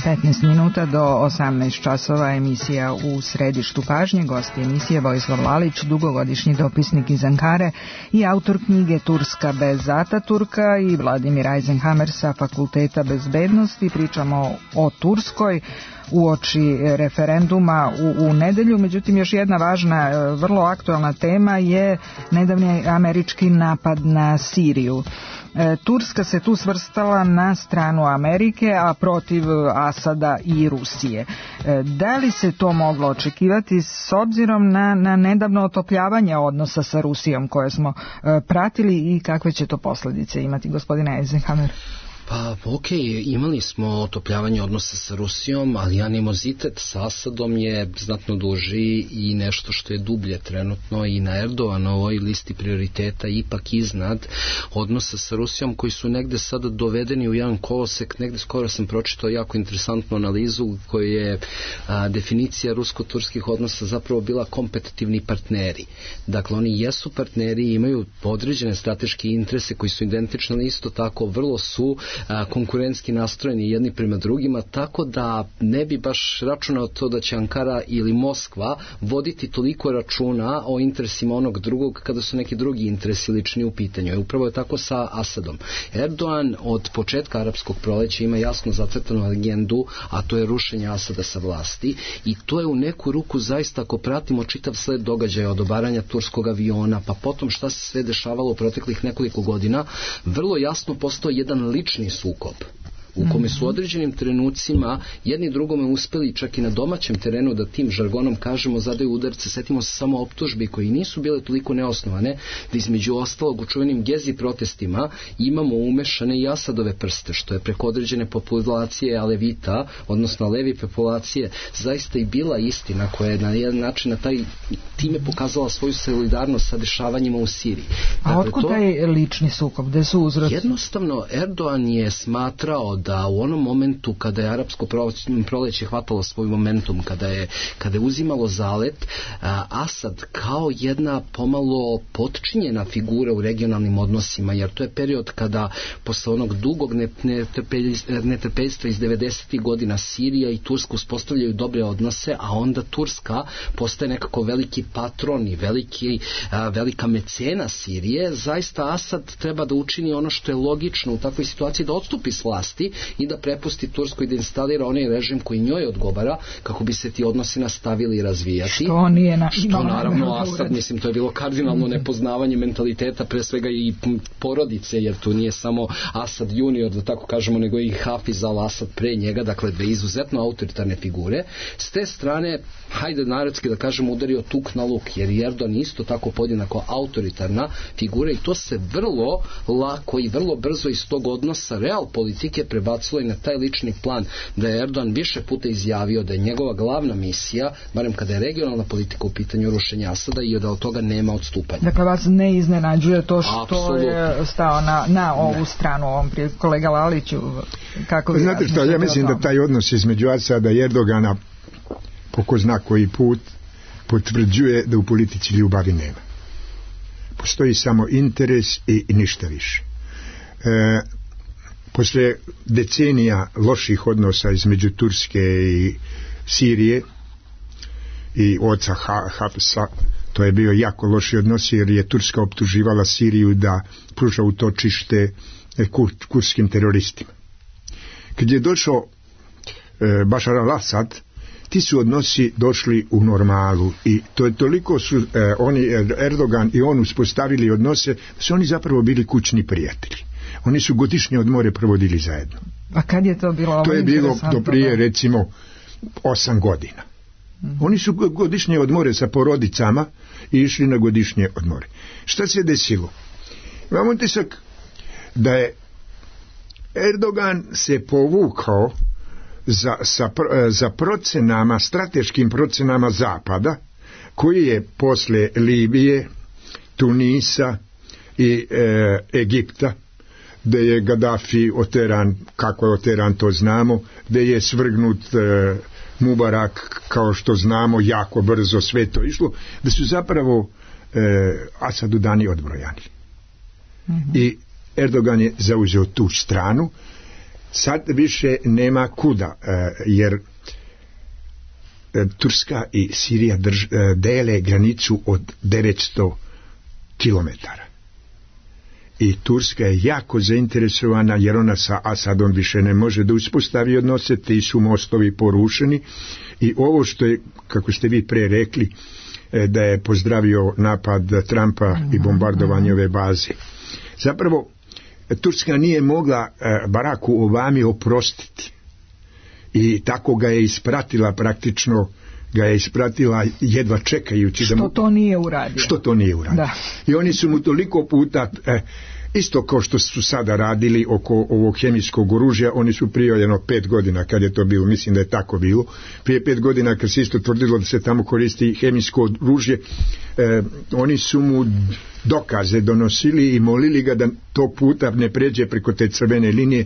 petnaest minuta do osamnaest časova, emisija U središtu pažnje. Gosti emisije Vojislav Lalić, dugogodišnji dopisnik iz Ankare i autor knjige Turska bez Ataturka, i Vladimir Eisenhammer sa Fakulteta bezbednosti. Pričamo o Turskoj uoči referenduma u, u nedelju. Međutim, još jedna važna, vrlo aktualna tema je nedavni američki napad na Siriju. Turska se tu svrstala na stranu Amerike, a protiv Asada i Rusije. Da li se to moglo očekivati s obzirom na, na nedavno otopljavanje odnosa sa Rusijom koje smo pratili i kakve će to posljedice imati, gospodine Eisenhammer? Pa, ok, imali smo otopljavanje odnosa sa Rusijom, ali animozitet sa Asadom je znatno duži i nešto što je dublje trenutno i na Erdoganovoj listi prioriteta ipak iznad odnosa sa Rusijom, koji su negde sada dovedeni u jedan kolosek. Negde skoro sam pročitao jako interesantnu analizu koja je a, definicija rusko-turskih odnosa zapravo bila kompetitivni partneri. Dakle, oni jesu partneri, imaju određene strateške interese koji su identični, ali isto tako vrlo su konkurentski nastrojeni jedni prema drugima, tako da ne bi baš računao to da će Ankara ili Moskva voditi toliko računa o interesima onog drugog kada su neki drugi interesi lični u pitanju. I upravo je tako sa Asadom. Erdogan od početka arapskog proleća ima jasno zacrtanu agendu, a to je rušenje Asada sa vlasti, i to je u neku ruku zaista, ako pratimo čitav sled događaja od obaranja turskog aviona, pa potom šta se sve dešavalo u proteklih nekoliko godina, vrlo jasno postao jedan lični sukob u kome su određenim trenucima jedni drugome uspeli čak i na domaćem terenu da tim žargonom kažemo zadaju udarce. Setimo se samo optužbi koji nisu bile toliko neosnovane, da između ostalog u čuvenim Gezi protestima imamo umešane i Asadove prste, što je preko određene populacije Alevita, odnosno levi populacije, zaista i bila istina koja je na jedan način na taj time pokazala svoju solidarnost sa dešavanjima u Siriji. Dakle, a otkud taj lični sukob? Gde su uzroci? Jednostavno, Erdogan je smatrao da u onom momentu kada je arapsko proleće hvatalo svoj momentum, kada je, kada je uzimalo zalet, Asad kao jedna pomalo potčinjena figura u regionalnim odnosima, jer to je period kada posle onog dugog netrpeljstva iz devedesetih godina Sirija i Turska uspostavljaju dobre odnose, a onda Turska postaje nekako veliki patron i veliki, velika mecena Sirije. Zaista Asad treba da učini ono što je logično u takvoj situaciji, da odstupi s vlasti i da prepusti Turskoj da instalira onaj režim koji njoj odgovara, kako bi se ti odnosi nastavili i razvijati. Što nije na, što naravno Asad, mislim, to je bilo kardinalno nepoznavanje mentaliteta, pre svega i porodice, jer tu nije samo Asad junior, da tako kažemo, nego i Hafiz al-Asad pre njega, dakle dve izuzetno autoritarne figure. S te strane, hajde narodski da kažemo, udario tuk na luk, jer Erdogan isto tako podjednako autoritarna figura, i to se vrlo lako i vrlo brzo iz tog odnosa real politike prebacilo i na taj lični plan, da je Erdogan više puta izjavio da je njegova glavna misija, barem kada je regionalna politika u pitanju rušenja Asada, i da od toga nema odstupanja. Dakle, vas ne iznenađuje to što Absolutno. je stao na, na ovu ne. stranu, ovom prije kolega Laliću, kako vi... Znate što, ja mislim da taj odnos između Asada i Erdogana po ko zna koji put potvrđuje da u politici ljubavi nema. Postoji samo interes i, i ništa više. E, Posle decenija loših odnosa između Turske i Sirije i oca Hafsa, to je bio jako loši odnos, jer je Turska optuživala Siriju da pruža utočište kur, kurskim teroristima. Kad je došao e, Bašar al-Asad, ti su odnosi došli u normalu, i to je toliko su e, oni, Erdogan i on uspostavili odnose, da su oni zapravo bili kućni prijatelji. Oni su godišnje odmore provodili zajedno. A kad je to bilo? To je bilo do prije recimo osam godina. Mm-hmm. Oni su godišnje odmore sa porodicama i išli na godišnje odmore. Šta se desilo? Imam utisak da je Erdogan se povukao za, sa, za procenama, strateškim procenama Zapada, koji je posle Libije, Tunisa i e, Egipta, gde je Gaddafi oteran, kako je oteran to znamo, gde je svrgnut e, Mubarak, kao što znamo, jako brzo sve to išlo, da su zapravo e, Asadu dani odbrojani. Mm-hmm. I Erdogan je zauzeo tu stranu, sad više nema kuda, jer Turska i Sirija drž, dele granicu od devetsto kilometara. I Turska je jako zainteresovana, jer ona sa Asadom više ne može da uspostavi odnose, ti su mostovi porušeni. I ovo što je, kako ste vi pre rekli, da je pozdravio napad Trumpa i bombardovanje ove baze. Zapravo, Turska nije mogla Baracku Obami oprostiti. I tako ga je ispratila praktično, ga je ispratila jedva čekajući što da mu... to nije uradio. Što to nije uradio. Da. I oni su mu toliko puta, eh, isto kao što su sada radili oko ovog hemijskog oružja, oni su prije jedno pet godina, kad je to bilo, mislim da je tako bilo, prije pet godina kad se isto tvrdilo da se tamo koristi hemijsko oružje, eh, oni su mu dokaze donosili i molili ga da to puta ne pređe preko te crvene linije.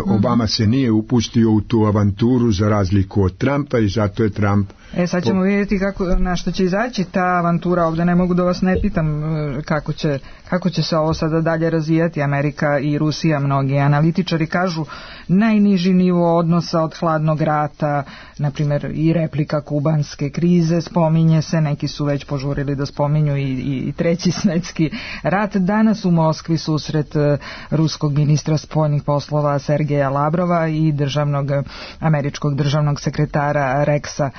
Obama se nije upustio u tu avanturu za razliku od Trumpa i zato je Trump... E sad ćemo vidjeti kako, na što će izaći ta avantura. Ovdje ne mogu da vas ne pitam kako će, kako će se ovo sada dalje razvijati. Amerika i Rusija, mnogi analitičari kažu najniži nivo odnosa od hladnog rata, na primjer i replika kubanske krize spominje se, neki su već požurili da spominju i, i treći svjetski rat. Danas u Moskvi susret ruskog ministra spoljnih poslova Sergeja Lavrova i državnog, američkog državnog sekretara Rexa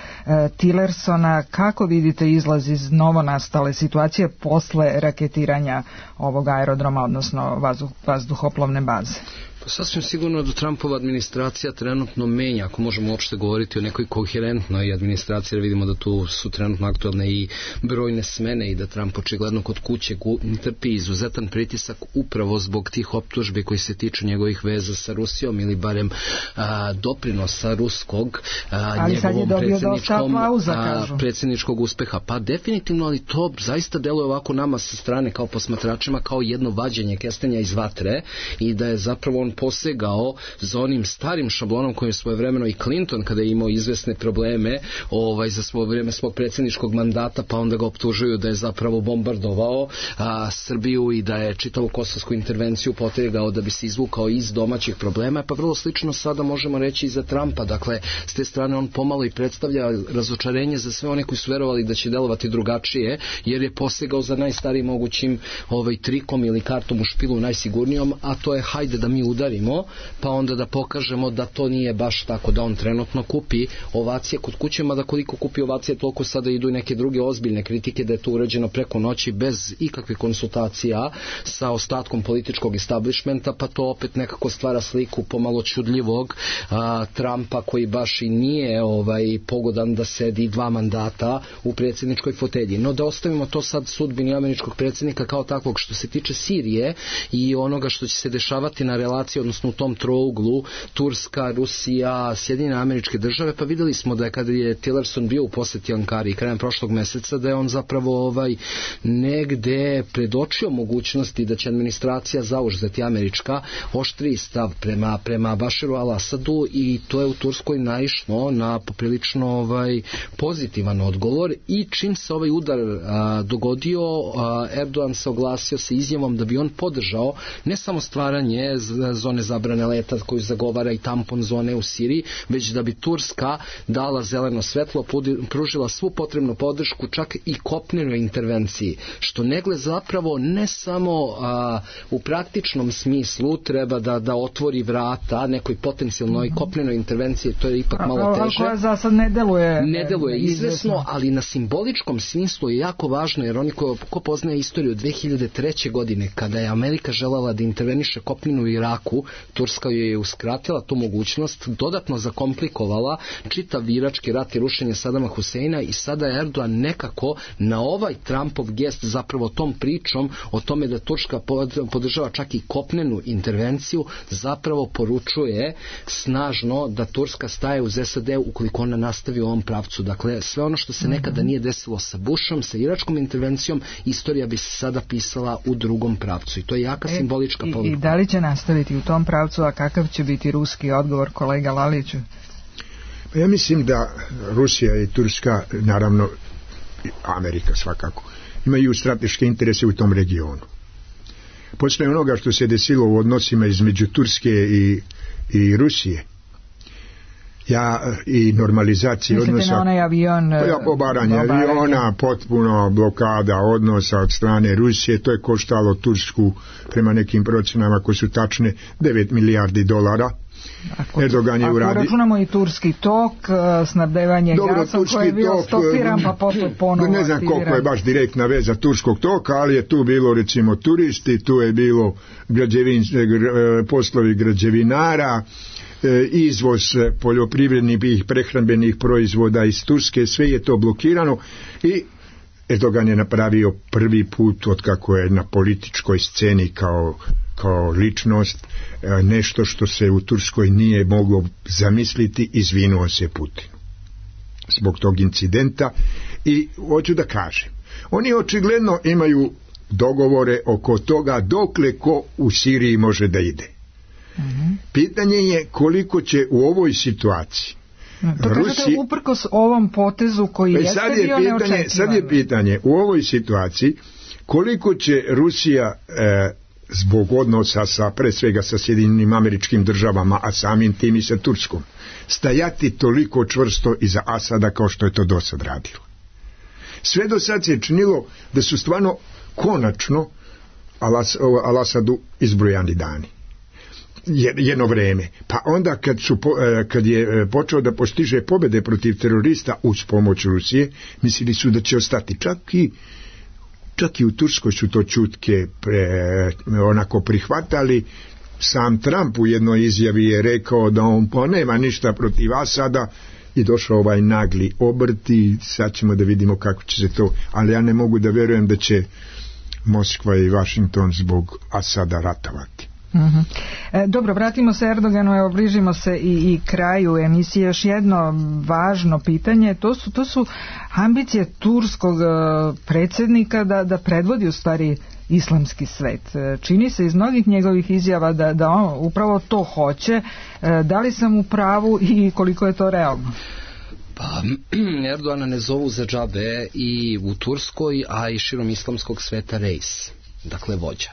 Tillersona. Kako vidite izlaz iz novonastale situacije posle raketiranja ovog aerodroma, odnosno vazduh, vazduhoplovne baze? Pa sasvim sigurno da Trumpova administracija trenutno menja, ako možemo uopšte govoriti o nekoj koherentnoj administraciji, jer vidimo da tu su trenutno aktualne i brojne smene i da Trump očigledno kod kuće trpi izuzetan pritisak upravo zbog tih optužbi koji se tiču njegovih veza sa Rusijom ili barem a, doprinosa ruskog a, njegovom predsjedničkom, a, predsjedničkog uspeha. Pa definitivno, ali to zaista deluje ovako nama sa strane kao posmatračima kao jedno vađenje kestenja iz vatre i da je zapravo on posegao za onim starim šablonom koji je svojevremeno i Clinton kada je imao izvesne probleme ovaj, za svoje vrijeme svog predsjedničkog mandata, pa onda ga optužuju da je zapravo bombardovao a, Srbiju i da je čitavu kosovsku intervenciju potegao da bi se izvukao iz domaćih problema, pa vrlo slično sada možemo reći i za Trumpa. Dakle, s te strane on pomalo i predstavlja razočarenje za sve one koji su verovali da će delovati drugačije, jer je posegao za najstarijim mogućim ovaj, trikom ili kartom u špilu najsigurnijom, a to je hajde da mi udarimo, pa onda da pokažemo da to nije baš tako, da on trenutno kupi ovacije kod kuće, mada koliko kupi ovacije, toliko sada idu i neke druge ozbiljne kritike da je to urađeno preko noći bez ikakvih konsultacija sa ostatkom političkog establishmenta, pa to opet nekako stvara sliku pomalo čudljivog a, Trumpa koji baš i nije ovaj, pogodan da sedi dva mandata u predsjedničkoj fotelji. No da ostavimo to sad sudbini američkog predsjednika kao takvog. Što se tiče Sirije i onoga što će se dešavati na relaciji, odnosno u tom trouglu Turska, Rusija, Sjedinjene Američke Države, pa vidjeli smo da je kada je Tillerson bio u posjeti Ankari krajem prošlog meseca, da je on zapravo ovaj negde predočio mogućnosti da će administracija zauzeti američka oštriji stav prema, prema Bašaru al-Asadu i to je u Turskoj naišlo na poprilično ovaj pozitivan odgovor i čim se ovaj udar a, dogodio, a, Erdogan se oglasio sa izjavom da bi on podržao ne samo stvaranje zone zabrane leta koju zagovara i tampon zone u Siriji, već da bi Turska dala zeleno svetlo, pružila svu potrebnu podršku čak i kopnenoj intervenciji, što negle zapravo ne samo a, u praktičnom smislu treba da, da otvori vrata nekoj potencijalnoj mm-hmm. kopnenoj intervenciji, to je ipak malo teže. Koja za sad ne deluje. Ne deluje izvesno, ali na simboličkom smislu je jako važno, jer oni ko, ko poznaje istoriju dve hiljade treće godine, kada je Amerika željela da interveniše kopnenu u Iraku, Turska joj je uskratila tu mogućnost, dodatno zakomplikovala čitav irački rat i rušenje Sadama Huseina i sada je Erdogan nekako na ovaj Trumpov gest zapravo tom pričom o tome da Turska podržava čak i kopnenu intervenciju zapravo poručuje snažno da Turska staje uz S A D ukoliko ona nastavi u ovom pravcu. Dakle, sve ono što se nekada nije desilo sa Bushom, sa iračkom intervencijom, istorija bi se sada pisala u drugom pravcu i to je jaka e, simbolička i, poruka. I da li će nastaviti u tom pravcu, a kakav će biti ruski odgovor, kolega Laliću? Pa ja mislim da Rusija i Turska, naravno Amerika svakako, imaju strateške interese u tom regionu. Posle onoga što se desilo u odnosima između Turske i i Rusije. Ja i normalizacije odnosa. Mislite na onaj avion? Ja, obaranje aviona, potpuno blokada odnosa od strane Rusije, to je koštalo Tursku, prema nekim procenama koji su tačne, devet milijardi dolara. Ako, Erdogan je ako uradi... računamo i turski tok, snabdevanje gasom koji je bio stopiran pa posle ponovo ne znam aktiviran. Koliko je baš direktna veza turskog toka, ali je tu bilo recimo turisti, tu je bilo građevin, poslovi građevinara, izvoz poljoprivrednih i prehrambenih proizvoda iz Turske, sve je to blokirano i Erdogan je napravio prvi put od kako je na političkoj sceni kao, kao ličnost nešto što se u Turskoj nije moglo zamisliti, izvinuo se Putinu zbog tog incidenta. I hoću da kažem, oni očigledno imaju dogovore oko toga dokle ko u Siriji može da ide. Mm-hmm. Pitanje je koliko će u ovoj situaciji to Rusi... uprkos ovom potezu koji jeste sad je bio pitanje, sad je pitanje u ovoj situaciji koliko će Rusija e, zbog odnosa sa, pre svega sa Sjedinjenim Američkim Državama, a samim tim i sa Turskom, stajati toliko čvrsto iza Asada kao što je to do sad radilo. Sve do sad se činilo da su stvarno konačno Alas, Al-Asadu izbrojani dani. Jedno vreme. Pa onda kad, su, kad je počeo da postiže pobjede protiv terorista uz pomoć Rusije, mislili su da će ostati. Čak i, čak i u Turskoj su to čutke pre, onako prihvatali. Sam Trump u jednoj izjavi je rekao da on pa nema ništa protiv Asada i došao ovaj nagli obrt i sad ćemo da vidimo kako će se to, ali ja ne mogu da verujem da će Moskva i Washington zbog Asada ratovati. Uh-huh. E, dobro, vratimo se Erdoganu, evo bližimo se i, i kraju emisije. Još jedno važno pitanje, to su, to su ambicije turskog uh, predsjednika da, da predvodi u stvari islamski svet. Čini se iz mnogih njegovih izjava da, da on upravo to hoće. E, da li sam u pravu i koliko je to realno? Pa, Erdogana ne zovu za džabe i u Turskoj, a i širom islamskog sveta reis, dakle vođa.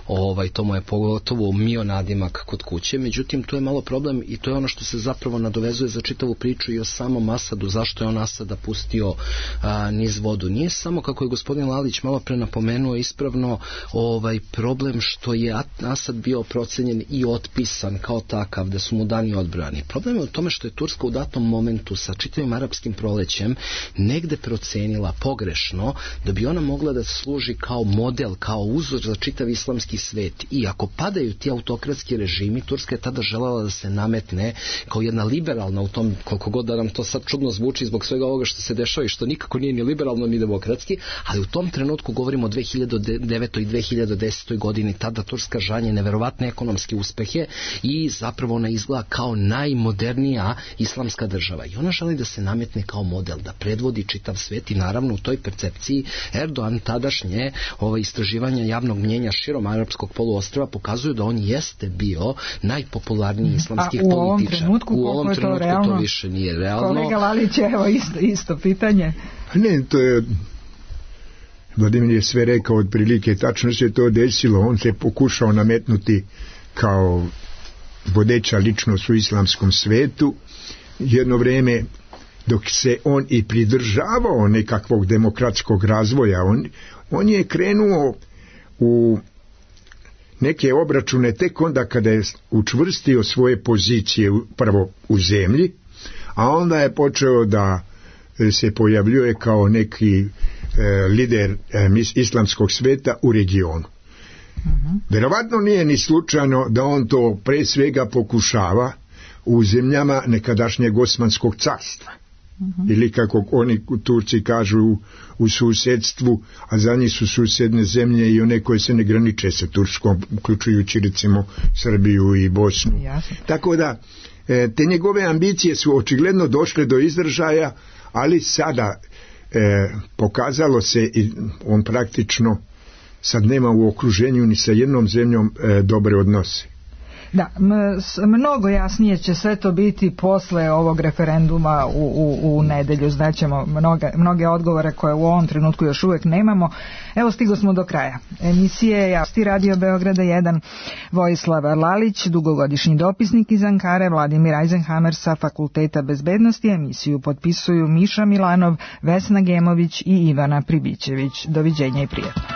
Ovaj, to mu je pogotovo mio nadimak kod kuće, međutim to je malo problem i to je ono što se zapravo nadovezuje za čitavu priču i o samom Asadu, zašto je on Asada pustio a, niz vodu. Nije samo, kako je gospodin Lalić malo pre napomenuo ispravno, ovaj problem što je Asad bio procenjen i otpisan kao takav, da su mu dani odbrani. Problem je u tome što je Turska u datom momentu sa čitavim arapskim prolećem negde procenila pogrešno da bi ona mogla da služi kao model, kao uzor za čitav islamski svet. I ako padaju ti autokratski režimi, Turska je tada želela da se nametne kao jedna liberalna u tom, koliko god da nam to sad čudno zvuči zbog svega ovoga što se dešava i što nikako nije ni liberalno ni demokratski, ali u tom trenutku govorimo o dve hiljade devetoj i dve hiljade desetoj godini, tada Turska žanje neverovatne ekonomske uspehe i zapravo ona izgleda kao najmodernija islamska država i ona želi da se nametne kao model, da predvodi čitav svet i naravno u toj percepciji Erdogan tadašnje ova istraživanja javnog mnjenja širom arapskog poluostrva pokazuju da on jeste bio najpopularniji islamski političar. A u ovom trenutku, u ovom je trenutku to, realno? To više nije realno. Kolega Lalić, evo isto, isto pitanje. Ne, to je Vladimir je sve rekao otprilike, tačno se to desilo, on se pokušao nametnuti kao vodeća ličnost u islamskom svetu. Jedno vreme dok se on i pridržavao nekakvog demokratskog razvoja, on, on je krenuo u neke obračune tek onda kada je učvrstio svoje pozicije prvo u zemlji, a onda je počeo da se pojavljuje kao neki e, lider e, islamskog sveta u regionu. Uh-huh. Verovatno nije ni slučajno da on to pre svega pokušava u zemljama nekadašnjeg Osmanskog carstva. Uh-huh. Ili kako oni Turci kažu u, u susedstvu, a za njih su susedne zemlje i one koje se ne graniče sa Turskom, uključujući recimo Srbiju i Bosnu. Jasne. Tako da e, te njegove ambicije su očigledno došle do izražaja, ali sada e, pokazalo se i on praktično sad nema u okruženju ni sa jednom zemljom e, dobre odnose. Da, mnogo jasnije će sve to biti posle ovog referenduma u, u, u nedelju. Znaćemo mnoge, mnoge odgovore koje u ovom trenutku još uvek nemamo. Evo, stigo smo do kraja emisije. Javnosti Radio Beograda jedan, Vojislav Lalić, dugogodišnji dopisnik iz Ankare, Vladimir Eisenhammer sa Fakulteta bezbednosti. Emisiju potpisuju Miša Milanov, Vesna Gemović i Ivana Pribićević. Doviđenja i prijatno.